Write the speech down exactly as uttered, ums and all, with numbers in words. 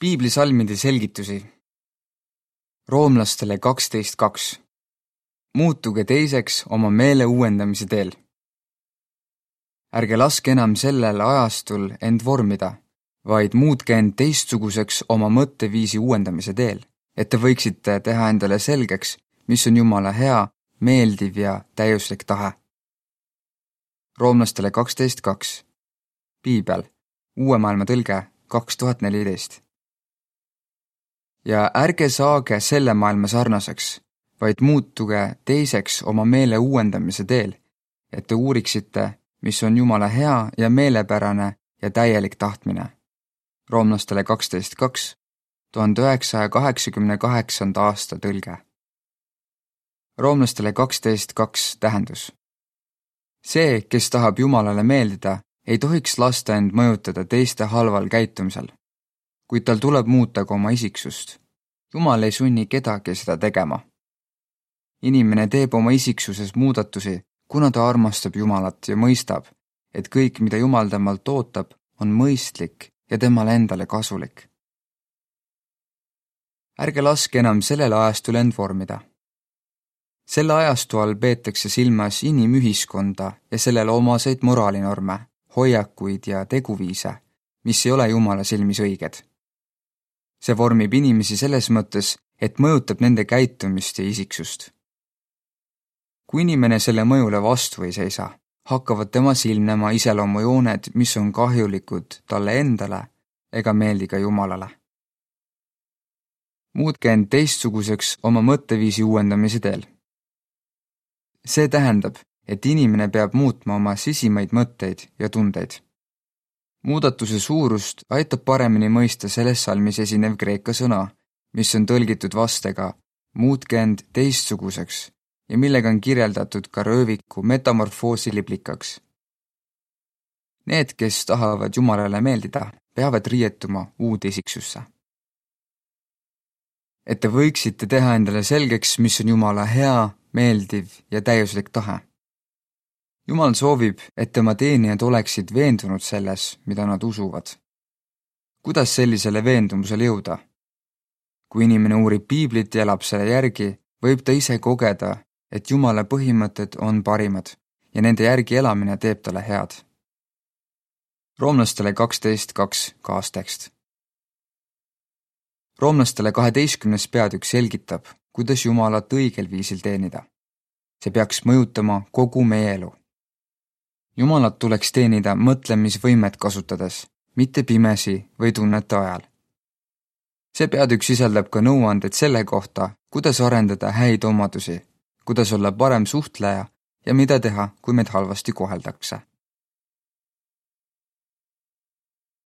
Piiblisalmide selgitusi. Roomlastele kaksteist kaks. Muutuge teiseks oma meele uuendamise teel. Ärge laske enam sellel ajastul end vormida, vaid muutke end teistsuguseks oma mõtteviisi uuendamise teel, et te võiksite teha endale selgeks, mis on Jumala hea, meeldiv ja täiuslik tahe. Roomlastele kaksteist kaks. Piibel, Uue maailma tõlge kaks tuhat neliteist. Ja ärge saage selle maailma sarnaseks, vaid muutuge teiseks oma meele uuendamise teel, et te uuriksite, mis on Jumala hea ja meelepärane ja täielik tahtmine. Roomlastele kaksteist kaks, tuhande üheksasaja kaheksakümne kaheksanda aasta tõlge. Roomlastele kaksteist kaks tähendus. See, kes tahab Jumalale meeldida, ei tohiks lasta end mõjutada teiste halval käitumisel, kuid tal tuleb muuta ka oma isiksust. Jumal ei sunni kedagi seda tegema. Inimene teeb oma isiksuses muudatusi, kuna ta armastab Jumalat ja mõistab, et kõik, mida Jumal temalt ootab, on mõistlik ja temale endale kasulik. Ärge laske enam sellel ajastul end vormida. Selle ajastu all peetakse silmas inimühiskonda ja sellele omaseid moraalinorme, hoiakuid ja teguviise, mis ei ole Jumala silmis õiged. See vormib inimesi selles mõttes, et mõjutab nende käitumist ja isiksust. Kui inimene selle mõjule vastu ei seisa, hakkavad tema silmnema iseloomujooned, mis on kahjulikud talle endale ega meeldi ka Jumalale. Muutke end teistsuguseks oma mõtteviisi uuendamise teel. See tähendab, et inimene peab muutma oma sisimaid mõtteid ja tundeid. Muudatuse suurust aitab paremini mõista selles salmis esinev kreeka sõna, mis on tõlgitud vastega muutke end teistsuguseks ja millega on kirjeldatud ka rööviku metamorfoosi liblikaks. Need, kes tahavad Jumalale meeldida, peavad riietuma uude isiksusse. Et te võiksite teha endale selgeks, mis on Jumala hea, meeldiv ja täiuslik tahe. Jumal soovib, et tema teenijad oleksid veendunud selles, mida nad usuvad. Kuidas sellisele veendumusele jõuda? Kui inimene uurib Piiblit ja elab selle järgi, võib ta ise kogeda, et Jumala põhimõtted on parimad ja nende järgi elamine teeb talle head. Roomlastele kaksteist kaks kaastekst. Roomlastele kaheteistkümnes peatükk selgitab, kuidas Jumalat õigel viisil teenida. See peaks mõjutama kogu meie elu. Jumalat tuleks teenida mõtlemisvõimet kasutades, mitte pimesi või tunnete ajal. See peatükk sisaldab ka nõuanded selle kohta, kuidas arendada häid omadusi, kuidas olla parem suhtleja ja mida teha, kui meid halvasti koheldakse.